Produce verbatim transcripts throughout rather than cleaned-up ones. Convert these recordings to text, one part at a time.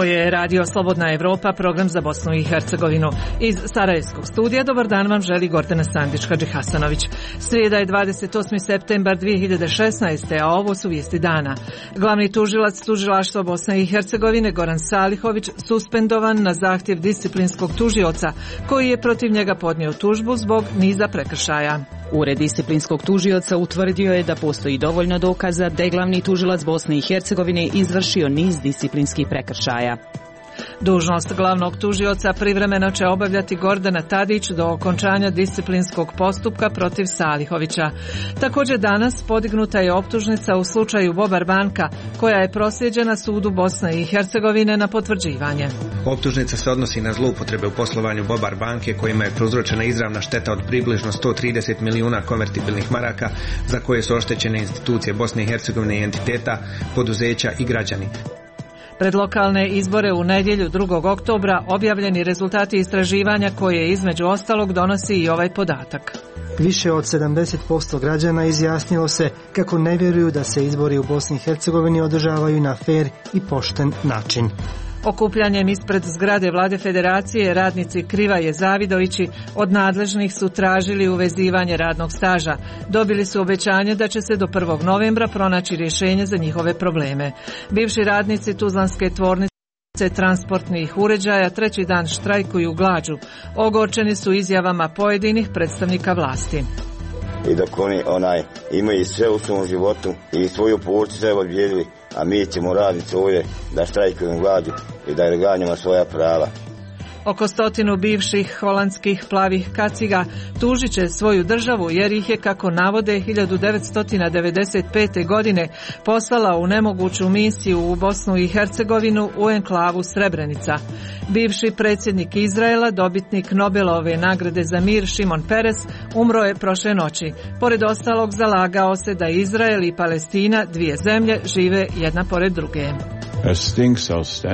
Ovo je Radio Slobodna Evropa, program za Bosnu i Hercegovinu. Iz Sarajevskog studija dobar dan vam želi Gordana Sandić-Hadžihasanović. Srijeda je dvadeset osmi septembar dvije hiljade šesnaeste. a ovo su vijesti dana. Glavni tužilac Tužilaštva Bosne i Hercegovine Goran Salihović suspendovan na zahtjev disciplinskog tužioca koji je protiv njega podnio tužbu zbog niza prekršaja. Ured disciplinskog tužioca utvrdio je da postoji dovoljno dokaza da je glavni tužilac Bosne i Hercegovine izvršio niz disciplinskih prekršaja. Dužnost glavnog tužioca privremeno će obavljati Gordana Tadić do okončanja disciplinskog postupka protiv Salihovića. Također danas podignuta je optužnica u slučaju Bobar banka, koja je proslijeđena sudu Bosne i Hercegovine na potvrđivanje. Optužnica se odnosi na zloupotrebe u poslovanju Bobar banke, kojima je prouzročena izravna šteta od približno sto trideset milijuna konvertibilnih maraka, za koje su oštećene institucije Bosne i Hercegovine i entiteta, poduzeća i građani. Pred lokalne izbore u nedjelju drugog oktobra objavljeni rezultati istraživanja koje između ostalog donosi i ovaj podatak. Više od sedamdeset posto građana izjasnilo se kako ne vjeruju da se izbori u Bosni i Hercegovini održavaju na fer i pošten način. Okupljanjem ispred zgrade Vlade Federacije radnici Krivaje Zavidovići od nadležnih su tražili uvezivanje radnog staža. Dobili su obećanje da će se do prvog novembra pronaći rješenje za njihove probleme. Bivši radnici Tuzlanske tvornice transportnih uređaja treći dan štrajkuju glađu. Ogorčeni su izjavama pojedinih predstavnika vlasti. I dok oni onaj, imaju sve u svom životu i svoju porcu sve odbijeli, a mi ćemo raditi ovdje da štrajkujem glađu i da reganjamo svoja prava. Oko stotinu bivših holandskih plavih kaciga tužit će svoju državu jer ih je, kako navode, hiljadu devetsto devedeset pete. godine poslala u nemoguću misiju u Bosnu i Hercegovinu u enklavu Srebrenica. Bivši predsjednik Izraela, dobitnik Nobelove nagrade za mir Šimon Peres, umro je prošle noći. Pored ostalog, zalagao se da Izrael i Palestina, dvije zemlje, žive jedna pored druge.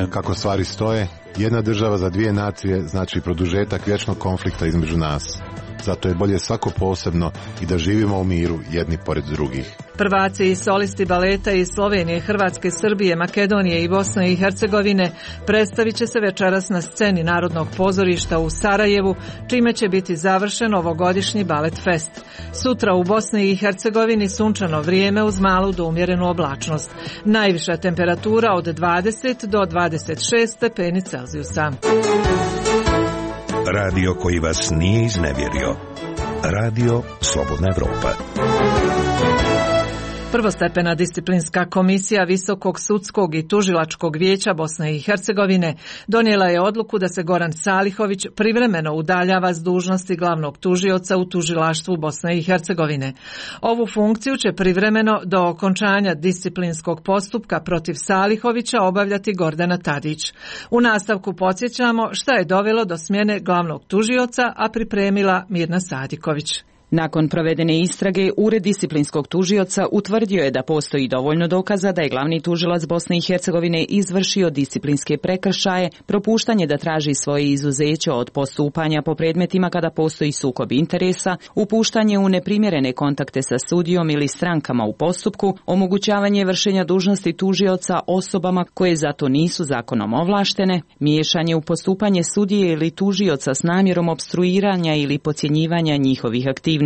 Kako stvari stoje, jedna država za dvije nacije znači produžetak vječnog konflikta između nas. Zato je bolje svako posebno i da živimo u miru jedni pored drugih. Prvaci i solisti baleta iz Slovenije, Hrvatske, Srbije, Makedonije i Bosne i Hercegovine predstavit će se večeras na sceni Narodnog pozorišta u Sarajevu, čime će biti završen ovogodišnji balet fest. Sutra u Bosni i Hercegovini sunčano vrijeme uz malu do umjerenu oblačnost. Najviša temperatura od dvadeset do dvadeset šest stepeni Celzijusa. Radio koji vas nije iznevjerio. Radio Slobodna Evropa. Prvostepena disciplinska komisija Visokog sudskog i tužilačkog vijeća Bosne i Hercegovine donijela je odluku da se Goran Salihović privremeno udaljava s dužnosti glavnog tužioca u tužilaštvu Bosne i Hercegovine. Ovu funkciju će privremeno do okončanja disciplinskog postupka protiv Salihovića obavljati Gordana Tadić. U nastavku podsjećamo šta je dovelo do smjene glavnog tužioca, a pripremila Mirna Sadiković. Nakon provedene istrage, Ured disciplinskog tužioca utvrdio je da postoji dovoljno dokaza da je glavni tužilac Bosne i Hercegovine izvršio disciplinske prekršaje, propuštanje da traži svoje izuzeće od postupanja po predmetima kada postoji sukob interesa, upuštanje u neprimjerene kontakte sa sudijom ili strankama u postupku, omogućavanje vršenja dužnosti tužioca osobama koje zato nisu zakonom ovlaštene, miješanje u postupanje sudije ili tužioca s namjerom opstruiranja ili podcjenjivanja njihovih aktivnosti.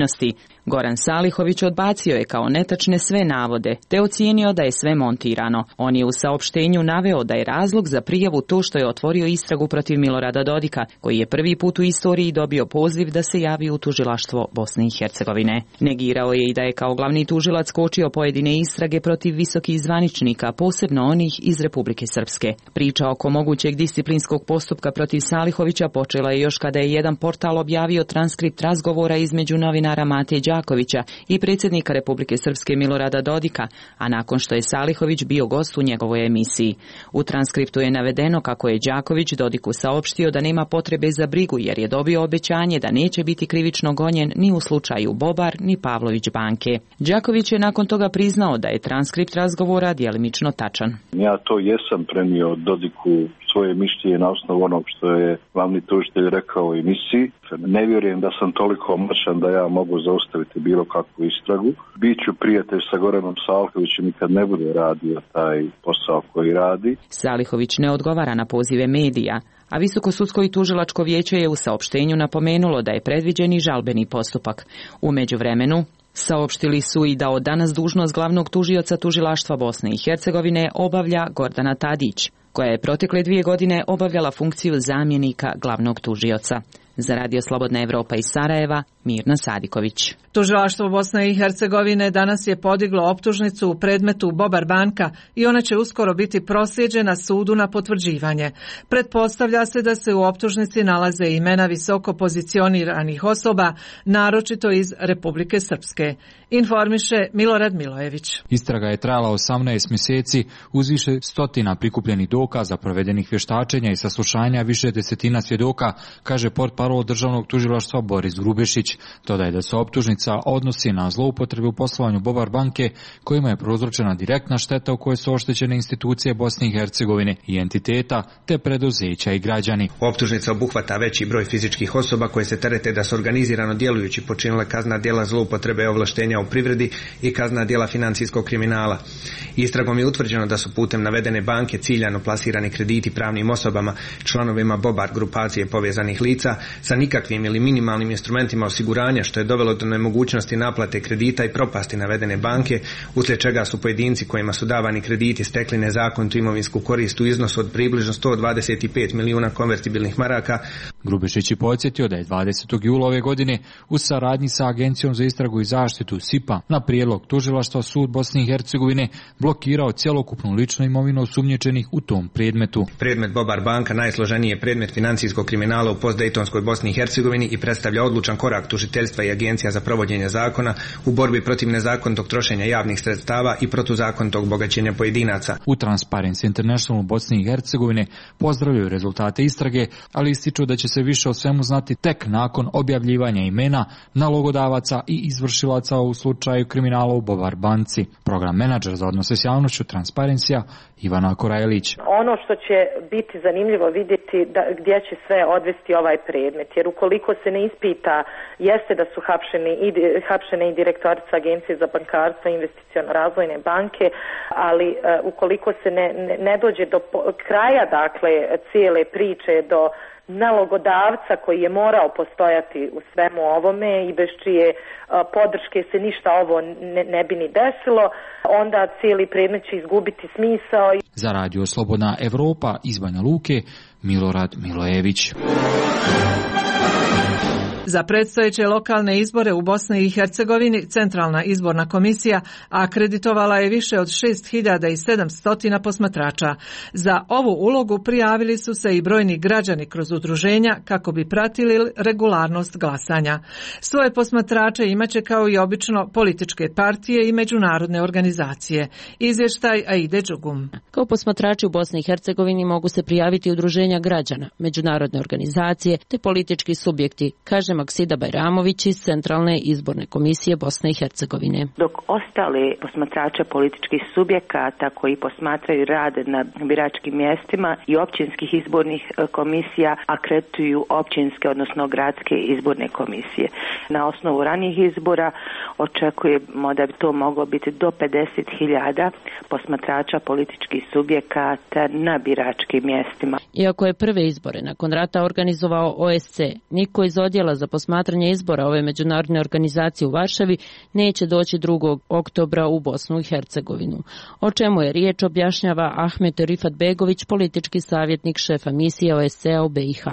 Goran Salihović odbacio je kao netačne sve navode, te ocijenio da je sve montirano. On je u saopštenju naveo da je razlog za prijavu to što je otvorio istragu protiv Milorada Dodika, koji je prvi put u istoriji dobio poziv da se javi u tužilaštvo Bosne i Hercegovine. Negirao je i da je kao glavni tužilac kočio pojedine istrage protiv visokih zvaničnika, posebno onih iz Republike Srpske. Priča oko mogućeg disciplinskog postupka protiv Salihovića počela je još kada je jedan portal objavio transkript razgovora između novinara Mate Đakovića i predsjednika Republike Srpske Milorada Dodika, a nakon što je Salihović bio gost u njegovoj emisiji. U transkriptu je navedeno kako je Đaković Dodiku saopštio da nema potrebe za brigu jer je dobio obećanje da neće biti krivično gonjen ni u slučaju Bobar ni Pavlović banke. Đaković je nakon toga priznao da je transkript razgovora djelimično tačan. Ja to jesam prenio Dodiku svoje mišljenje na osnovu onog što je glavni tužitelj rekao u emisiji. Ne vjerujem da sam toliko moćan da ja mogu zaustaviti bilo kakvu istragu. Biću prijatelj sa Goranom Salihovićem i kad ne bude radio taj posao koji radi. Salihović ne odgovara na pozive medija, a Visoko sudsko i tužilačko vijeće je u saopštenju napomenulo da je predviđen i žalbeni postupak. U međuvremenu saopštili su i da od danas dužnost glavnog tužioca tužilaštva Bosne i Hercegovine obavlja Gordana Tadić, koja je protekle dvije godine obavljala funkciju zamjenika glavnog tužioca. Za Radio Slobodna Evropa iz Sarajeva, Mirna Sadiković. Tužilaštvo Bosne i Hercegovine danas je podiglo optužnicu u predmetu Bobar banka i ona će uskoro biti proslijeđena sudu na potvrđivanje. Pretpostavlja se da se u optužnici nalaze imena visoko pozicioniranih osoba, naročito iz Republike Srpske. Informiše Milorad Milojević. Istraga je trajala osamnaest mjeseci uz više stotina prikupljenih dokaza, provedenih vještačenja i saslušanja više desetina svjedoka, kaže portparol državnog tužilaštva Boris Grubešić. Dodaje da se optužnica odnosi na zloupotrebu u poslovanju Bobar banke, kojima je prouzročena direktna šteta u kojoj su oštećene institucije Bosne i Hercegovine i entiteta, te preduzeća i građani. Optužnica obuhvata veći broj fizičkih osoba koje se terete da su organizirano djelujući počinile kaznena djela zloupotrebe ovlaštenja u privredi i kaznena djela financijskog kriminala. Istragom je utvrđeno da su putem navedene banke ciljano plasirani krediti pravnim osobama, članovima Bobar grupacije povezanih lica sa nikakvim ili minimalnim instrumentima osiguranja, što je dovelo do nemogućnosti naplate kredita i propasti navedene banke, uslijed čega su pojedinci kojima su davani krediti stekli nezakonitu imovinsku korist u iznosu od približno sto dvadeset pet milijuna konvertibilnih maraka. Grubešić je podsjetio da je dvadesetog jula ove godine u saradnji sa Agencijom za istragu i zaštitu S I P A na prijedlog tužilaštva sud Bosne i Hercegovine blokirao cjelokupnu ličnu imovinu osumnjičenih u tom predmetu. Predmet Bobar banka najsloženiji je predmet financijskog kriminala u postdejtonskoj Bosni i Hercegovini i predstavlja odlučan korak tužiteljstva i Agencija za provođenje zakona u borbi protiv nezakonitog trošenja javnih sredstava i protuzakonitog bogaćenja pojedinaca. U Transparency International u Bosni i Hercegovine pozdravljaju rezultate istrage, ali ističu da će se više o svemu znati tek nakon objavljivanja imena nalogodavaca i izvršilaca u slučaju kriminala u Bobar banci. Program menadžer za odnose s javnošću Transparency-a Ivana Korajlić. Ono što će biti zanimljivo vidjeti da, gdje će sve odvesti ovaj predmet, jer ukoliko se ne ispita, jeste da su hapšeni i, hapšene i direktorica Agencije za bankarstvo i investiciono razvojne banke, ali uh, ukoliko se ne, ne, ne dođe do po, kraja dakle cijele priče, do nalogodavca koji je morao postojati u svemu ovome i bez čije uh, podrške se ništa ovo ne, ne bi ni desilo, onda cijeli predmet će izgubiti smisao. Za Radio Slobodna Evropa iz Banja Luke, Milorad Milojević. Za predstojeće lokalne izbore u Bosni i Hercegovini Centralna izborna komisija akreditovala je više od šest hiljada sedamsto posmatrača. Za ovu ulogu prijavili su se i brojni građani kroz udruženja kako bi pratili regularnost glasanja. Svoje posmatrače imaće kao i obično političke partije i međunarodne organizacije. Izvještaj Aide Đugum. Kao posmatrači u Bosni i Hercegovini mogu se prijaviti udruženja građana, međunarodne organizacije te politički subjekti, kaže Maksida Bajramović iz Centralne izborne komisije Bosne i Hercegovine. Dok ostali posmatrače političkih subjekata koji posmatraju rad na biračkim mjestima i općinskih izbornih komisija akredituju općinske, odnosno gradske izborne komisije. Na osnovu ranijih izbora očekujemo da bi to moglo biti do pedeset hiljada posmatrača političkih subjekata na biračkim mjestima. Iako je prve izbore nakon rata organizovao O S C, niko iz odjela za posmatranje izbora ove međunarodne organizacije u Varšavi neće doći drugog oktobra u Bosnu i Hercegovinu. O čemu je riječ objašnjava Ahmet Rifat Begović, politički savjetnik šefa misije O S C-a u B i H.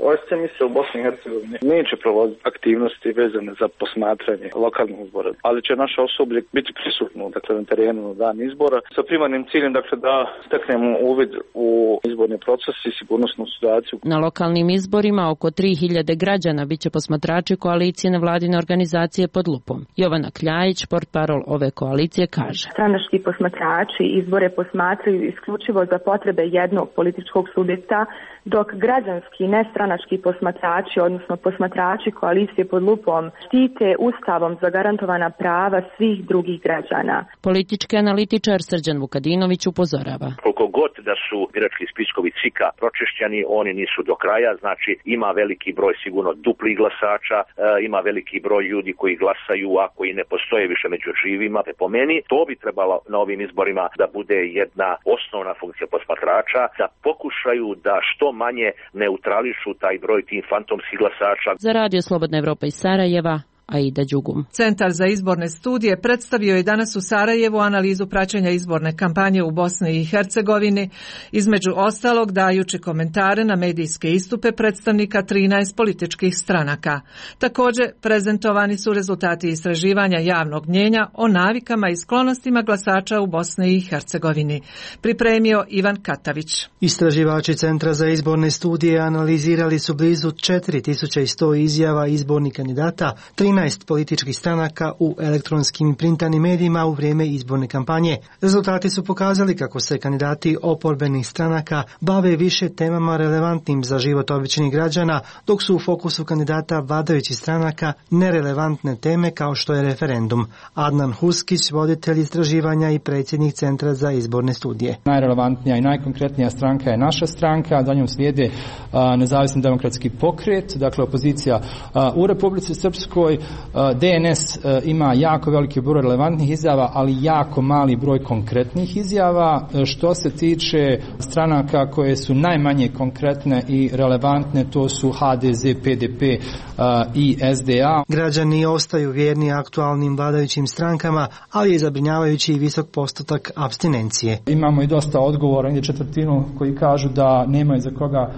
O S C misija u Bosni i Hercegovini neće provoditi aktivnosti vezane za posmatranje lokalnih izbora, ali će naše osoblje biti prisutno dakle, na terenu na dan izbora sa primarnim ciljem dakle, da steknemo uvid u izborni proces i sigurnosnu situaciju. Na lokalnim izborima oko tri hiljade građana biće posmatrati posmatrači koalicije nevladine organizacije pod lupom. Jovana Kljajić, portparol ove koalicije, kaže: Stranački posmatrači izbore posmatraju isključivo za potrebe jednog političkog subjekta, dok građanski nestranački posmatrači, odnosno posmatrači koalicije pod lupom, štite ustavom zagarantovana prava svih drugih građana. Politički analitičar Srđan Vukadinović upozorava: Koliko god da su birački spiskovi C I K-a pročišćeni, oni nisu do kraja, znači ima veliki broj sigurno duplih glasača, e, ima veliki broj ljudi koji glasaju, a koji ne postoje više među živima. Po meni to bi trebalo na ovim izborima da bude jedna osnovna funkcija posmatrača, da pokušaju da što manje neutrališu taj broj tih fantomskih glasača. Za Radio Slobodna Evropa iz Sarajeva, Aida Đugum. Centar za izborne studije predstavio je danas u Sarajevu analizu praćenja izborne kampanje u Bosni i Hercegovini, između ostalog dajući komentare na medijske istupe predstavnika trinaest političkih stranaka. Također prezentovani su rezultati istraživanja javnog mnjenja o navikama i sklonostima glasača u Bosni i Hercegovini. Pripremio Ivan Katavić. Istraživači Centra za izborne studije analizirali su blizu četiri tisuće sto izjava izbornih kandidata, trinaest političkih stranaka u elektronskim i printanim medijima u vrijeme izborne kampanje. Rezultati su pokazali kako se kandidati oporbenih stranaka bave više temama relevantnim za život običnih građana, dok su u fokusu kandidata vladajućih stranaka nerelevantne teme kao što je referendum. Adnan Huskić, voditelj istraživanja i predsjednik Centra za izborne studije. Najrelevantnija i najkonkretnija stranka je naša stranka, za njom slijede a, nezavisni demokratski pokret, dakle opozicija a, u Republici Srpskoj. D N S ima jako veliki broj relevantnih izjava, ali jako mali broj konkretnih izjava. Što se tiče stranaka koje su najmanje konkretne i relevantne, to su H D Z, P D P i S D A. Građani ostaju vjerni aktualnim vladajućim strankama, ali je zabrinjavajući i visok postotak apstinencije. Imamo i dosta odgovora, negdje četvrtinu koji kažu da nemaju za koga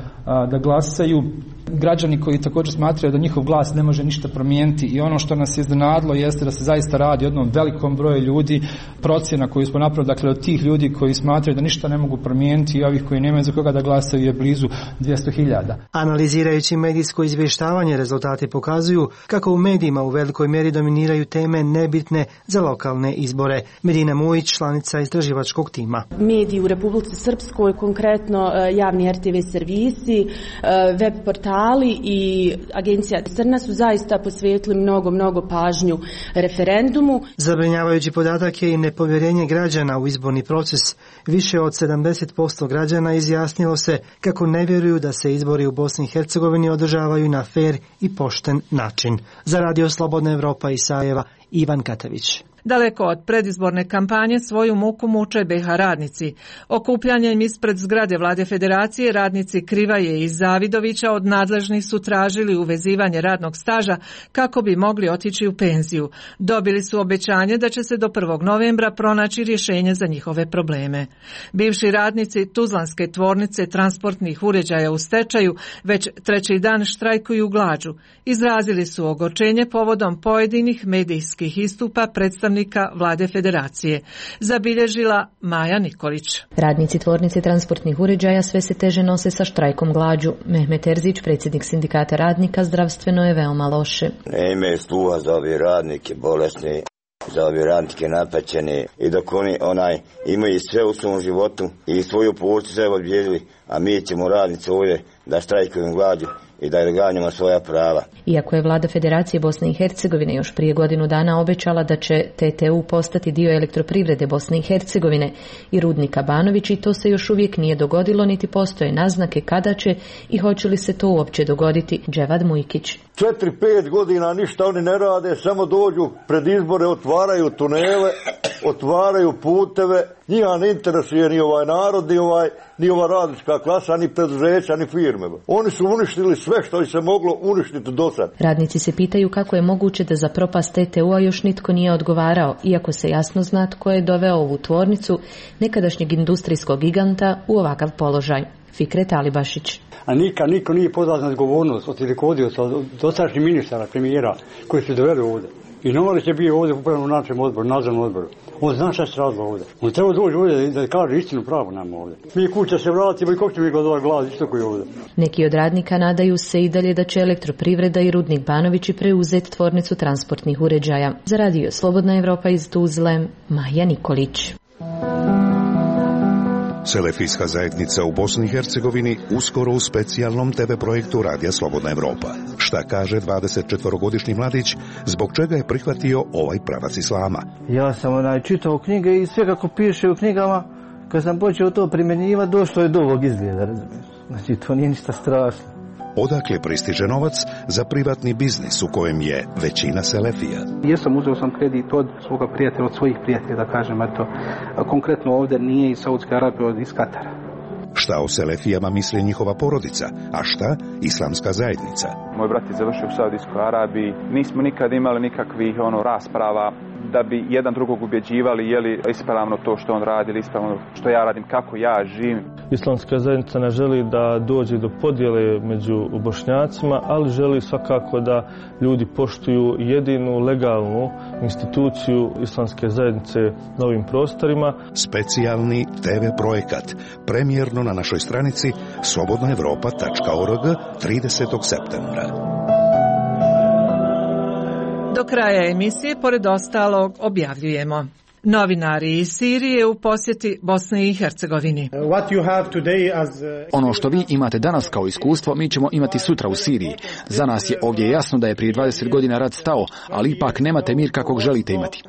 da glasaju. Građani koji također smatraju da njihov glas ne može ništa promijeniti, i ono što nas je iznenadilo jeste da se zaista radi o jednom velikom broju ljudi. Procjena koju smo napravili, dakle od tih ljudi koji smatraju da ništa ne mogu promijeniti i ovih koji nemaju za koga da glasaju, je blizu dvjesto hiljada. Analizirajući medijsko izvještavanje, rezultati pokazuju kako u medijima u velikoj mjeri dominiraju teme nebitne za lokalne izbore. Medina Mujić, članica istraživačkog tima. Mediji u Republici Srpskoj, konkretno javni R T V servisi, web portali i agencija Crna su zaista posvetili mnogo, mnogo pažnju referendumu. Zabrinjavajući podatak je i nepovjerenje građana u izborni proces. Više od sedamdeset posto građana izjasnilo se kako ne vjeruju da se izbori u Bosni i Hercegovini održavaju na fer i pošten način. Za Radio Slobodna Evropa iz Sarajeva, Ivan Katavić. Daleko od predizborne kampanje svoju muku muče B iH radnici. Okupljanjem ispred zgrade Vlade Federacije radnici Krivaje i Zavidovića od nadležnih su tražili uvezivanje radnog staža kako bi mogli otići u penziju. Dobili su obećanje da će se do prvog novembra pronaći rješenje za njihove probleme. Bivši radnici Tuzlanske tvornice transportnih uređaja u stečaju već treći dan štrajkuju glađu. Izrazili su ogorčenje povodom pojedinih medijskih istupa predstavnika Vlade Federacije. Zabilježila Maja Nikolić. Radnici tvornice transportnih uređaja sve se teže nose sa štrajkom glađu. Mehmet Erzić, predsjednik sindikata radnika, zdravstveno je veoma loše. Ne imaju sluha za ove radnike bolesni, za ove radnike napaćene, i dok oni onaj imaju sve u svom životu i svoju porcu sve odbijeli, a mi ćemo radnici ovdje da štrajkujem glađu i da ganjamo svoja prava. Iako je Vlada Federacije Bosne i Hercegovine još prije godinu dana obećala da će T T U postati dio elektroprivrede Bosne i Hercegovine i rudnika Banović, i to se još uvijek nije dogodilo, niti postoje naznake kada će i hoće li se to uopće dogoditi. Dževad Mujkić. Četiri, pet godina ništa oni ne rade, samo dođu pred izbore, otvaraju tunele, otvaraju puteve. Njima ne interesuje ni ovaj narod, ni, ovaj, ni ova radnička klasa, ni preduzeća, ni firme. Oni su uništili sve što je se moglo uništiti do sad. Radnici se pitaju kako je moguće da za propast T T U-a još nitko nije odgovarao, iako se jasno zna tko je doveo ovu tvornicu, nekadašnjeg industrijskog giganta, u ovakav položaj. Fikret Alibašić. A nikad niko nije pozvan na odgovornost od rukovodioca, od dosadašnjih ministara, premijera koji su doveli ovdje. I Novalić je bio ovdje upravo na našem odboru, nadzornom odboru. On zna šta se radilo ovdje. On treba doći ovdje da kaže istinu pravo nam ovdje. Mi kuća se vratimo i kako će mi gledovati glas isto koji ovdje. Neki od radnika nadaju se i dalje da će Elektroprivreda i Rudnik Banovići preuzeti tvornicu transportnih uređaja. Za Radio Slobodna Evropa iz Tuzle, Maja Nikolić. Selefijska zajednica u Bosni i Hercegovini uskoro u specijalnom te ve projektu Radija Slobodna Evropa. Šta kaže dvadesetčetvorogodišnji mladić, zbog čega je prihvatio ovaj pravac islama? Ja sam onaj čitao knjige i sve kako piše u knjigama, kad sam počeo to primjenjivati, došlo je do ovog izgleda, razumiješ? Znači, to nije ništa strašno. Odakle pristiže novac za privatni biznis u kojem je većina selefija? Jesam, uzeo sam kredit od svoga prijatelja, od svojih prijatelja, da kažem, eto, konkretno ovdje nije iz Saudske Arabije, od iz Katara. Šta o selefijama misli njihova porodica, a šta islamska zajednica? Moj brat je završio u Saudijskoj Arabiji, nismo nikad imali nikakvih ono rasprava da bi jedan drugog ubjeđivali je li ispravno to što on radi ili ispravno što ja radim, kako ja živim. Islamska zajednica ne želi da dođe do podjele među Bošnjacima, ali želi svakako da ljudi poštuju jedinu legalnu instituciju Islamske zajednice na ovim prostorima. Specijalni te ve projekat, premijerno na našoj stranici slobodna evropa tačka org tridesetog septembra. Do kraja emisije, pored ostalog, objavljujemo. Novinari iz Sirije u posjeti Bosni i Hercegovini. Ono što vi imate danas kao iskustvo, mi ćemo imati sutra u Siriji. Za nas je ovdje jasno da je prije dvadeset godina rat stao, ali ipak nemate mir kakvog želite imati.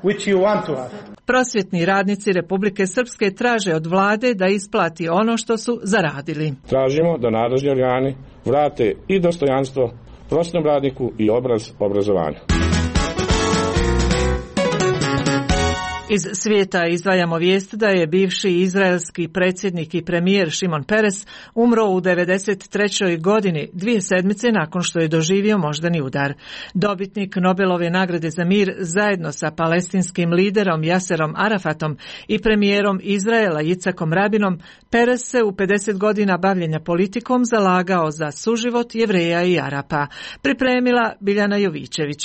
Prosvjetni radnici Republike Srpske traže od vlade da isplati ono što su zaradili. Tražimo da nadležni organi vrate i dostojanstvo prosvjetnom radniku i obraz obrazovanju. Iz svijeta izdvajamo vijest da je bivši izraelski predsjednik i premijer Šimon Peres umro u devedeset trećoj godini, dvije sedmice nakon što je doživio moždani udar. Dobitnik Nobelove nagrade za mir zajedno sa palestinskim liderom Jaserom Arafatom i premijerom Izraela Jicakom Rabinom, Peres se u pedeset godina bavljenja politikom zalagao za suživot Jevreja i Arapa. Pripremila Biljana Jovićević.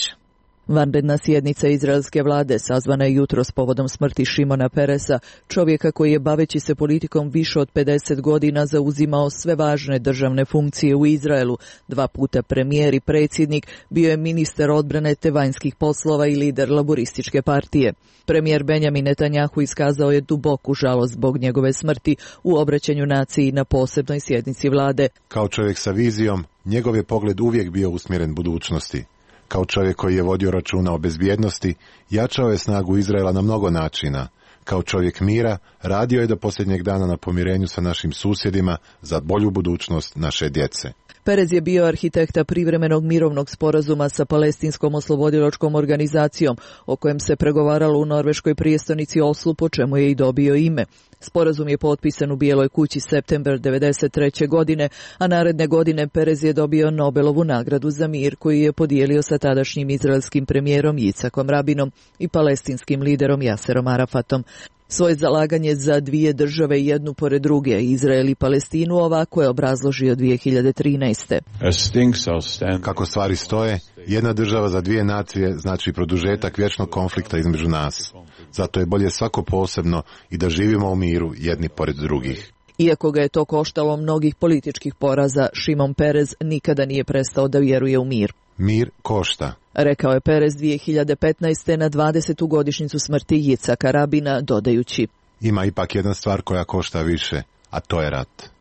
Vanredna sjednica izraelske vlade sazvana je jutros povodom smrti Šimona Peresa, čovjeka koji je baveći se politikom više od pedeset godina zauzimao sve važne državne funkcije u Izraelu, dva puta premijer i predsjednik, bio je ministar odbrane te vanjskih poslova i lider laborističke partije. Premijer Benjamin Netanjahu iskazao je duboku žalost zbog njegove smrti u obraćanju naciji na posebnoj sjednici vlade. Kao čovjek sa vizijom, njegov je pogled uvijek bio usmjeren budućnosti. Kao čovjek koji je vodio računa o bezbjednosti, jačao je snagu Izraela na mnogo načina. Kao čovjek mira, radio je do posljednjeg dana na pomirenju sa našim susjedima za bolju budućnost naše djece. Perez je bio arhitekta privremenog mirovnog sporazuma sa palestinskom oslobodilačkom organizacijom, o kojem se pregovaralo u norveškoj prijestolnici Oslu, po čemu je i dobio ime. Sporazum je potpisan u Bijeloj kući septembar devedeset treće godine, a naredne godine Perez je dobio Nobelovu nagradu za mir koju je podijelio sa tadašnjim izraelskim premijerom Jicakom Rabinom i palestinskim liderom Jaserom Arafatom. Svoje zalaganje za dvije države jednu pored druge, Izrael i Palestinu, ovako je obrazložio dvije hiljade trinaeste. Kako stvari stoje, jedna država za dvije nacije znači produžetak vječnog konflikta između nas. Zato je bolje svako posebno i da živimo u miru jedni pored drugih. Iako ga je to koštalo mnogih političkih poraza, Šimon Perez nikada nije prestao da vjeruje u mir. Mir košta, rekao je Perez dvije hiljade petnaeste. na dvadesetu godišnjicu smrti Jicaka Rabina, dodajući: ima ipak jedna stvar koja košta više, a to je rat.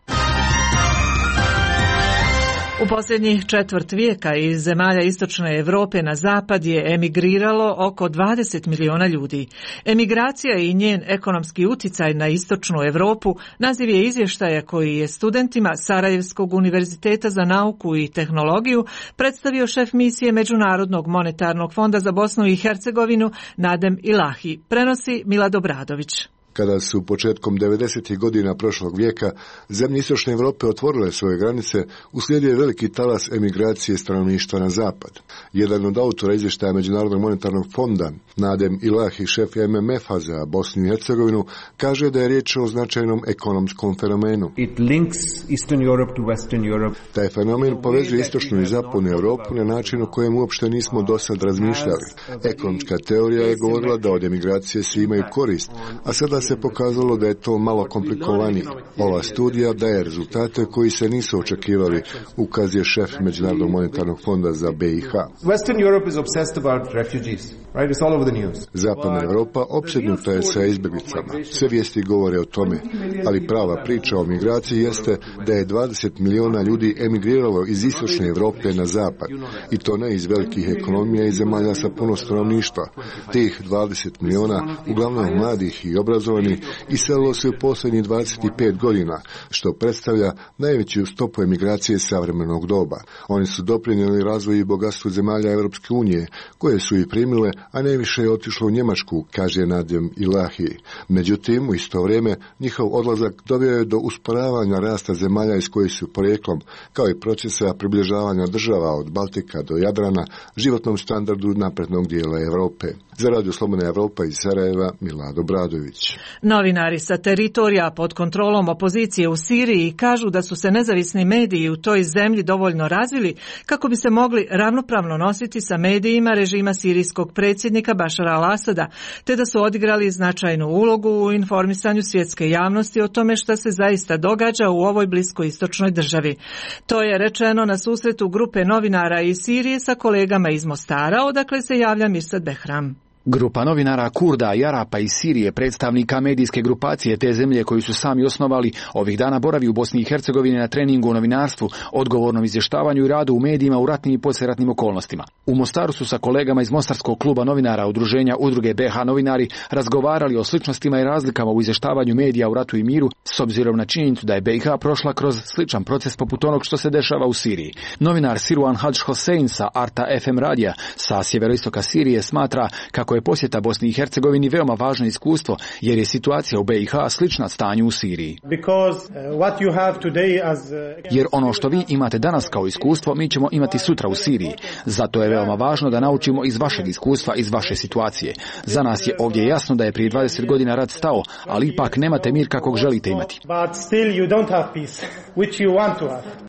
U posljednjih četvrt vijeka iz zemalja istočne Europe na zapad je emigriralo oko dvadeset miliona ljudi. Emigracija i njen ekonomski uticaj na istočnu Europu naziv je izvještaja koji je studentima Sarajevskog univerziteta za nauku i tehnologiju predstavio šef misije Međunarodnog monetarnog fonda za Bosnu i Hercegovinu Nadem Ilahi. Prenosi Milad Obradović. Kada su početkom devedesetih godina prošlog vijeka zemlje istočne Europe otvorile svoje granice, uslijedio je veliki talas emigracije stanovništva na zapad. Jedan od autora izvještaja Međunarodnog monetarnog fonda, Nadem Ilahi, šef M M F-a za Bosnu i Hercegovinu, kaže da je riječ o značajnom ekonomskom fenomenu. It links Eastern Europe to Western Europe. Taj fenomen povezuje istočnu i zapadnu Europu na način o kojem uopšte nismo do sad razmišljali. Ekonomska teorija je govorila da od emigracije svi imaju korist, a sada se pokazalo da je to malo komplikovanije. Ova studija daje rezultate koji se nisu očekivali, ukazuje šef Međunarodnog monetarnog fonda za B i H. Western Europe is obsessed about refugees. Right? It's all over the news. Zapadna Europa opsednuta je sa izbjeglicama. Sve vijesti govore o tome, ali prava priča o migraciji jeste da je dvadeset miliona ljudi emigriralo iz istočne Europe na zapad, i to ne iz velikih ekonomija i zemalja sa puno stanovništva. Tih dvadeset miliona, uglavnom mladih i obrazovanih, iselilo se u posljednjih dvadeset pet godina, što predstavlja najveću stopu emigracije savremenog doba. Oni su doprinijeli razvoju i bogatstvu zemalja Europske unije, koje su ih primile, a najviše je otišlo u Njemačku, kaže Nadem Ilahi. Međutim, u isto vrijeme, njihov odlazak doveo je do usporavanja rasta zemalja iz kojih su porijeklom, kao i procesa približavanja država od Baltika do Jadrana, životnom standardu naprednog dijela Europe. Za Radio Slobodna Evropa iz Sarajeva, Milado Bradović. Novinari sa teritorija pod kontrolom opozicije u Siriji kažu da su se nezavisni mediji u toj zemlji dovoljno razvili kako bi se mogli ravnopravno nositi sa medijima režima sirijskog predsjednika Bašara al-Asada, te da su odigrali značajnu ulogu u informisanju svjetske javnosti o tome šta se zaista događa u ovoj bliskoistočnoj državi. To je rečeno na susretu grupe novinara iz Sirije sa kolegama iz Mostara, odakle se javlja Mirsad Behram. Grupa novinara Kurda i Arapa iz Sirije, predstavnika medijske grupacije te zemlje koju su sami osnovali, ovih dana boravi u Bosni i Hercegovini na treningu o novinarstvu, odgovornom izvještavanju i radu u medijima u ratnim i poslijeratnim okolnostima. U Mostaru su sa kolegama iz Mostarskog kluba novinara udruženja Udruge B H Novinari razgovarali o sličnostima i razlikama u izvještavanju medija u ratu i miru, s obzirom na činjenicu da je B i H prošla kroz sličan proces poput onog što se dešava u Siriji. Novinar Sirwan Hadž Hosein sa Arta F M radija sa sjeveroistoka Sirije smatra kako je posjeta Bosni i Hercegovini veoma važno iskustvo, jer je situacija u B i H slična stanju u Siriji. Jer ono što vi imate danas kao iskustvo, mi ćemo imati sutra u Siriji. Zato je veoma važno da naučimo iz vašeg iskustva, iz vaše situacije. Za nas je ovdje jasno da je prije dvadeset godina rat stao, ali ipak nemate mir kakvog želite imati.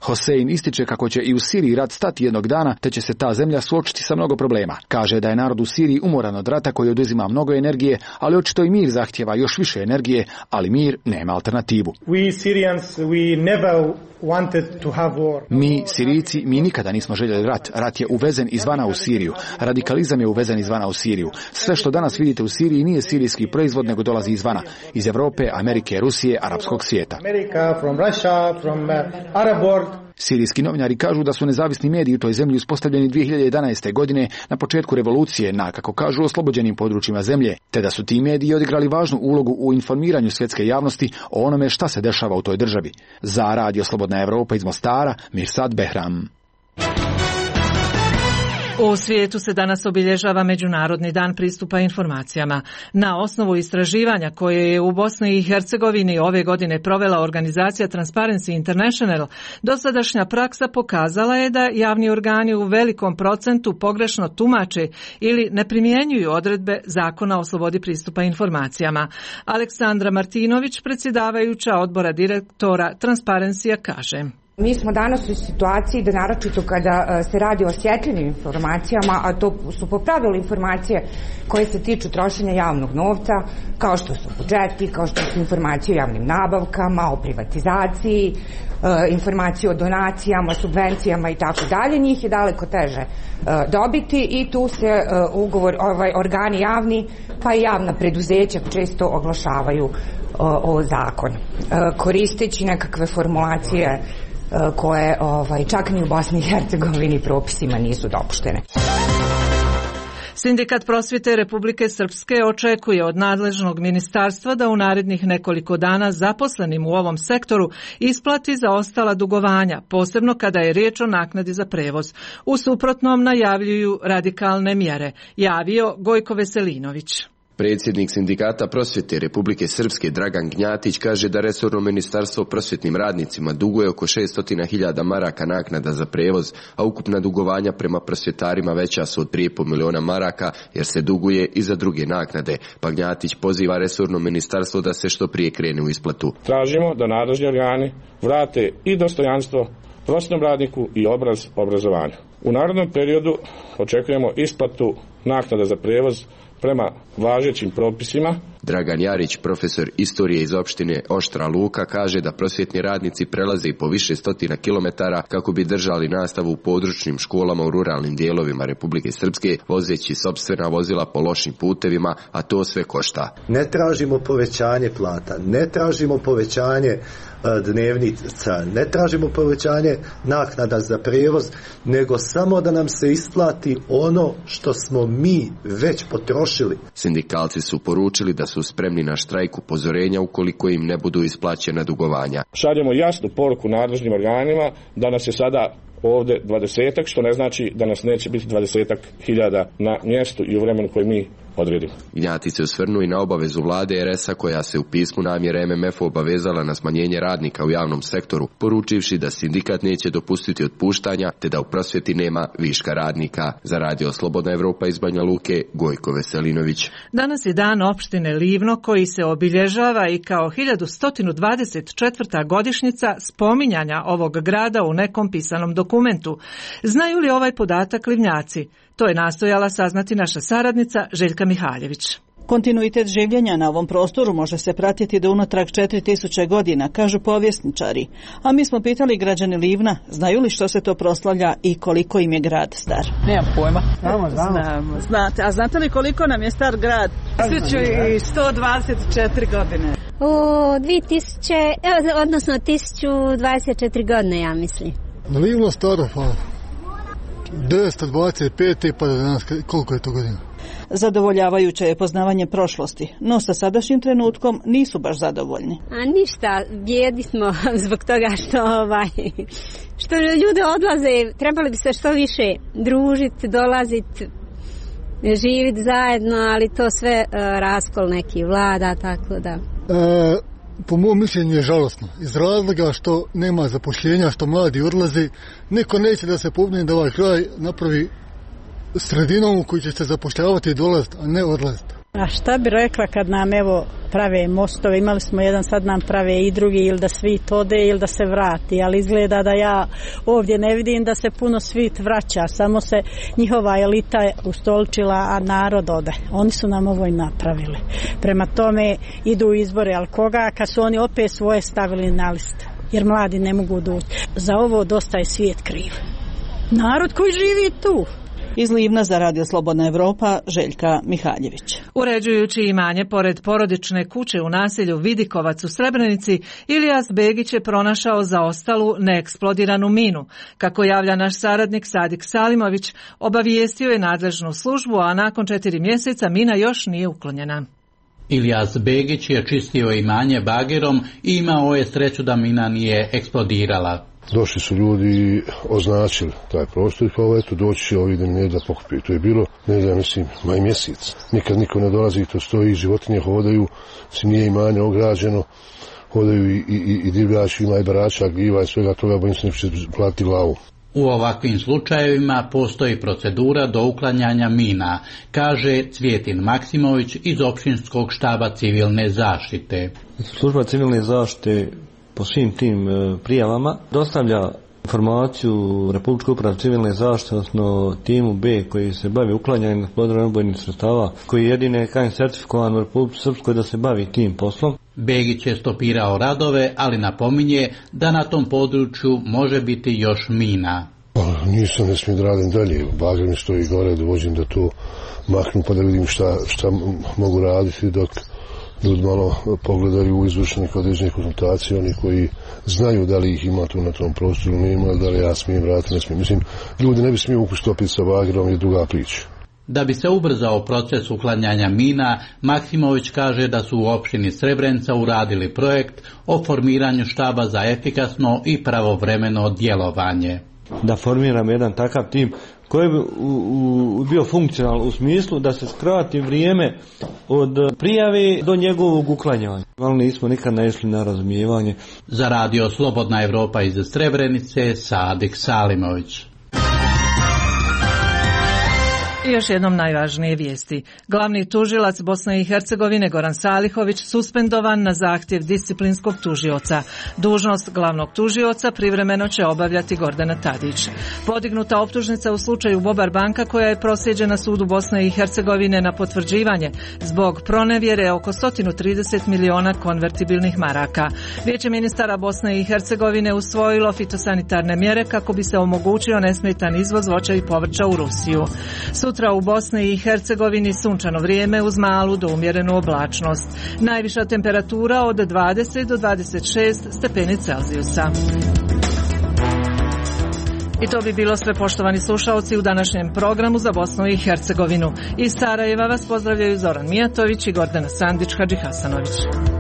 Hosein ističe kako će i u Siriji rat stati jednog dana, te će se ta zemlja suočiti sa mnogo problema. Kaže da je narod u Siriji umoran od rata koji oduzima mnogo energije, ali očito i mir zahtjeva još više energije, ali mir nema alternativu. Mi, Sirijci, mi nikada nismo željeli rat. Rat je uvezen izvana u Siriju. Radikalizam je uvezen izvana u Siriju. Sve što danas vidite u Siriji nije sirijski proizvod, nego dolazi izvana. Iz Europe, Amerike, Rusije, arapskog svijeta. Sirijski novinari kažu da su nezavisni mediji u toj zemlji uspostavljeni dvije hiljade jedanaeste. godine na početku revolucije na, kako kažu, oslobođenim područjima zemlje, te da su ti mediji odigrali važnu ulogu u informiranju svjetske javnosti o onome šta se dešava u toj državi. Za Radio Slobodna Evropa iz Mostara, Mirsad Behram. U svijetu se danas obilježava Međunarodni dan pristupa informacijama. Na osnovu istraživanja koje je u Bosni i Hercegovini ove godine provela organizacija Transparency International, dosadašnja praksa pokazala je da javni organi u velikom procentu pogrešno tumače ili ne primjenjuju odredbe Zakona o slobodi pristupa informacijama. Aleksandra Martinović, predsjedavajuća odbora direktora Transparency-a, kaže: Mi smo danas u situaciji da naročito kada se radi o osjetljivim informacijama, a to su po pravilu informacije koje se tiču trošenja javnog novca, kao što su budžeti, kao što su informacije o javnim nabavkama, o privatizaciji, informacije o donacijama, subvencijama i tako dalje, njih je daleko teže dobiti i tu se ugovor, ovaj, organi javni pa i javna preduzeća često oglašavaju o, o zakon, koristeći nekakve formulacije koje ovaj, čak ni u Bosni i Hercegovini propisima nisu dopuštene. Sindikat prosvjete Republike Srpske očekuje od nadležnog ministarstva da u narednih nekoliko dana zaposlenim u ovom sektoru isplati zaostala dugovanja, posebno kada je riječ o naknadi za prevoz. U suprotnom najavljuju radikalne mjere, javio Gojko Veselinović. Predsjednik sindikata prosvjete Republike Srpske Dragan Gnjatić kaže da resorno ministarstvo prosvjetnim radnicima duguje oko šesto hiljada maraka naknada za prevoz, a ukupna dugovanja prema prosvjetarima veća su od tri i pol miliona maraka jer se duguje i za druge naknade, pa Gnjatić poziva resorno ministarstvo da se što prije krene u isplatu. Tražimo da nadležni organi vrate i dostojanstvo prosvjetnom radniku i obraz obrazovanja. U narednom periodu očekujemo isplatu naknada za prevoz prema važećim propisima. Dragan Jarić, profesor istorije iz opštine Oštra Luka, kaže da prosvjetni radnici prelaze i po više stotina kilometara kako bi držali nastavu u područnim školama u ruralnim dijelovima Republike Srpske, vozeći sopstvena vozila po lošim putevima, a to sve košta. Ne tražimo povećanje plata, ne tražimo povećanje dnevnica, ne tražimo povećanje naknada za prevoz, nego samo da nam se isplati ono što smo mi već potrošili. Sindikalci su poručili da su spremni na štrajk upozorenja ukoliko im ne budu isplaćena dugovanja. Šaljemo jasnu poruku nadležnim organima da nas je sada ovdje dvadesetak, što ne znači da nas neće biti dvadesetak hiljada na mjestu i u vremenu koje mi odredimo. Gnjatić se osvrnuo i na obavezu vlade er es a koja se u pismu namjere em em ef obavezala na smanjenje radnika u javnom sektoru, poručivši da sindikat neće dopustiti otpuštanja te da u prosvjeti nema viška radnika. Za Radio Slobodna Evropa iz Banja Luke, Gojko Veselinović. Danas je dan opštine Livno koji se obilježava i kao hiljadu sto dvadeset četvrta godišnjica spominjanja ovog grada u nekom pisanom dokumentu. Znaju li ovaj podatak Livnjaci? To je nastojala saznati naša saradnica Željka Mihaljević. Kontinuitet življenja na ovom prostoru može se pratiti do unatrag četiri tisuće godina, kažu povjesničari. A mi smo pitali građani Livna, znaju li što se to proslavlja i koliko im je grad star? Nemam pojma. Znamo, znamo. Znamo. Znate, a znate li koliko nam je star grad? tisuću sto dvadeset četiri godine. U dvije tisuće, odnosno tisuću dvadeset četiri godine, ja mislim. Na Livno staro, pa devetsto dvadeset pet pa do danas, koliko je to godina? Zadovoljavajuće je poznavanje prošlosti, no sa sadašnjim trenutkom nisu baš zadovoljni. A ništa, bijedi smo zbog toga što, ovaj, što ljudi odlaze, trebali bi se što više družiti, dolaziti, živjeti zajedno, ali to sve uh, raskol neki vlada, tako da. E, po mom mišljenju je žalosno, iz razloga što nema zapošljenja, što mladi odlaze, niko neće da se pobune da ovaj kraj napravi sredinom u koji će se zapošljavati i dolaziti, a ne odlaziti. A šta bi rekla kad nam evo prave mostove, imali smo jedan, sad nam prave i drugi, ili da svit ode ili da se vrati, ali izgleda da ja ovdje ne vidim da se puno svit vraća, samo se njihova elita ustoličila, a narod ode. Oni su nam ovo i napravili. Prema tome idu u izbore, ali koga kad su oni opet svoje stavili na list, jer mladi ne mogu doći. Za ovo dosta je svijet kriv. Narod koji živi tu. Iz Livna za Radio Slobodna Evropa, Željka Mihaljević. Uređujući imanje pored porodične kuće u naselju Vidikovac u Srebrenici, Ilijas Begić je pronašao zaostalu neeksplodiranu minu. Kako javlja naš saradnik Sadik Salimović, obavijestio je nadležnu službu, a nakon četiri mjeseca mina još nije uklonjena. Ilijas Begić je čistio imanje bagerom i imao je sreću da mina nije eksplodirala. Došli su ljudi i označili taj prostor i kao eto doći će ovi da mi ne da pokupiju. To je bilo, ne znam, mislim, maj mjesec. Nikad niko ne dolazi, to stoji, životinje hodaju, si nije imanje ograđeno, hodaju i, i, i divljači, ima i barača, gljiva i svega toga, bojim se neće platiti glavu. U ovakvim slučajevima postoji procedura do uklanjanja mina, kaže Cvjetin Maksimović iz općinskog štaba civilne zaštite. Služba civilne zaštite po svim tim prijavama dostavlja informaciju Republičkoj upravi civilne zaštite, odnosno timu B koji se bavi uklanjanjem neeksplodirane ubojnih sredstava, koji je jedine K A N certifikovan u Republici Srpskoj da se bavi tim poslom. Begić je stopirao radove, ali napominje da na tom području može biti još mina. Pa, nisam, ne smijem da radim dalje, bager mi stoji gore, da vođim da to maknu pa da vidim šta, šta mogu raditi dok ljudi malo pogledaju u izvršenih određenih konsultacija, oni koji znaju da li ih ima tu na tom prostoru, ne ima, da li ja smijem vratiti, ne smijem. Mislim, ljudi ne bi smiju ukustopiti sa bagerom, je druga priča. Da bi se ubrzao proces uklanjanja mina, Maksimović kaže da su u opštini Srebrenica uradili projekt o formiranju štaba za efikasno i pravovremeno djelovanje. Da formiramo jedan takav tim koji bi u, u, bio funkcionalan u smislu da se skrati vrijeme od prijave do njegovog uklanjanja. Ali nismo nikad naišli na razumijevanje. Za radio Slobodna Evropa iz Srebrenice, Sadik Salimović. I još jednom najvažnije vijesti. Glavni tužilac Bosne i Hercegovine Goran Salihović suspendovan na zahtjev disciplinskog tužioca. Dužnost glavnog tužioca privremeno će obavljati Gordana Tadić. Podignuta optužnica u slučaju Bobar banka koja je proslijeđena sudu Bosne i Hercegovine na potvrđivanje zbog pronevjere oko sto trideset miliona konvertibilnih maraka. Vijeće ministara Bosne i Hercegovine usvojilo fitosanitarne mjere kako bi se omogućio nesmetan izvoz voća i povrća u Rusiju. Sutra u Bosni i Hercegovini sunčano vrijeme uz malu do umjerenu oblačnost. Najviša temperatura od dvadeset do dvadeset šest stepeni Celzijusa. I to bi bilo sve, poštovani slušalci, u današnjem programu za Bosnu i Hercegovinu. Iz Sarajeva vas pozdravljaju Zoran Mijatović i Gordana Sandić Hadžihasanović.